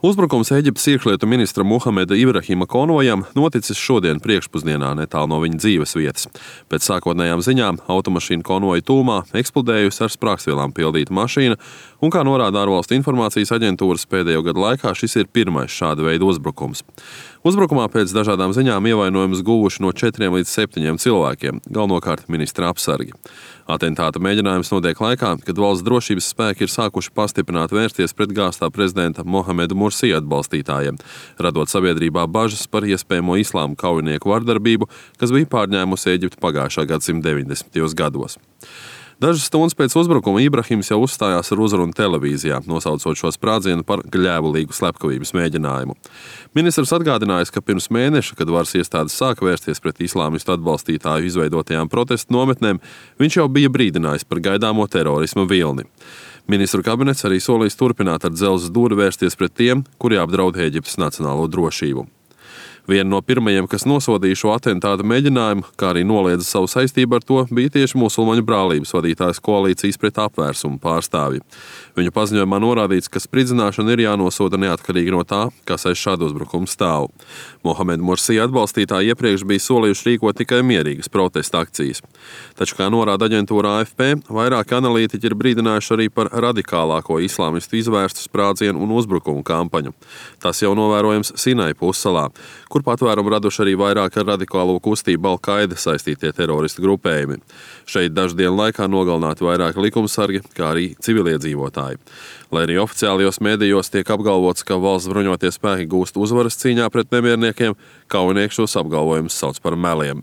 Uzbrukums Ēģiptes iekšlietu ministra Muhameda Ibrahima konvojam noticis šodien priekšpusdienā netālu no viņa dzīves vietas. Pēc sākotnējām ziņām automašīna konvoja tūmā eksplodējusi ar sprāgstvielām pildīta mašīna, un, kā norāda ārvalstu informācijas aģentūras, pēdējo gadu laikā šis ir pirmais šāda veida uzbrukums. Uzbrukumā pēc dažādām ziņām ievainojumus guvuši no 4 līdz 7 cilvēkiem, galvenokārt ministra apsargi. Atentāta mēģinājums notiek laikā, kad valsts drošības spēki ir sākuši pastiprināt vērsties pret gāztā prezidenta Mohameda Mursija atbalstītājiem, radot sabiedrībā bažas par iespējamo islāma kaujinieku vardarbību, kas bija pārņēmusi Ēģipti pagājušā gadsimta 90. gados. Dažas stundas pēc uzbrukuma Ibrahims jau uzstājās ar uzrunu televīzijā, nosaucot šo sprādzienu par gļēvulīgu slepkavības mēģinājumu. Ministrs atgādinājis, ka pirms mēneša, kad varas iestādes sāka vērsties pret islāmistu atbalstītāju izveidotajām protestu nometnēm, viņš jau bija brīdinājis par gaidāmo terorisma vilni. Ministru kabinets arī solījis turpināt ar dzelzs dūri vērsties pret tiem, kuri apdraud Ēģiptes nacionālo drošību. Viena no pirmajiem, kas nosodīja šo atentāta mēģinājumu, kā arī noliedza savu saistību ar to, bija tieši musulmaņu brālības vadītājas koalīcijas pret apvērsumu pārstāvji. Viņu paziņojumā norādīts, ka spridzināšana ir jānosoda neatkarīgi no tā, kas aiz šādu uzbrukumu stāv. Mohameda Mursija atbalstītāji iepriekš bija solījuši rīkot tikai mierīgas protesta akcijas. Taču, kā norāda aģentūra AFP, vairāki analītiķi ir brīdinājuši arī par radikālāko islāmistu izvērstu sprādzienu un uzbrukumu kampaņu. Tas jau novērojams Sinai pussalā, kur patvērumu raduši arī vairāk ar radikālo kustību Al-Qaida saistītie teroristu grupējumi. Šeit dažu dienu laikā nogalināti vairāki likumsargi, kā arī civiliedzīvotāji. Lai arī oficiālajos mēdījos tiek apgalvots, ka valsts bruņotie spēki gūst uzvaras cīņā pret nemierniekiem, kaujinieki šos apgalvojumus sauc par meliem.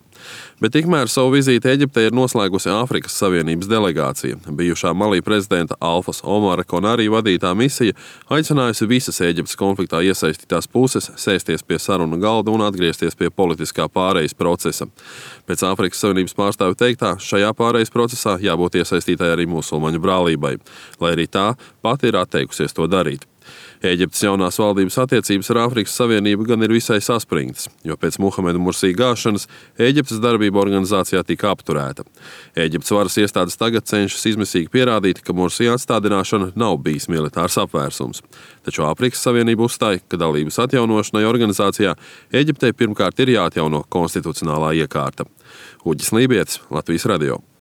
Bet tikmēr savu vizīti Eģiptē ir noslēgusi Āfrikas Savienības delegācija. Bijušā Malī prezidenta Alfas Omara Konarī vadītā misija aicinājusi visas Eģiptes konfliktā iesaistītās puses sēsties pie sarunu galda un atgriezties pie politiskā pārejas procesa. Pēc Āfrikas Savienības pārstāvju teiktā, šajā pārejas procesā jābūt iesaistītai arī musulmaņu brālībai, lai arī tā pati ir atteikusies to darīt. Ēģiptes jaunās valdības attiecības ar Āfrikas Savienību gan ir visai saspringtas, jo pēc Muhameda Mursija gāšanas Ēģiptes darbība organizācijā tika apturēta. Ēģiptes varas iestādes tagad cenšas izmisīgi pierādīt, ka Mursija atstādināšana nav bijis militārs apvērsums. Taču Āfrikas Savienība uzstāja, ka dalības atjaunošanai organizācijā Ēģiptei pirmkārt ir jāatjauno konstitucionālā iekārta. Uģis Lībietis, Latvijas radio.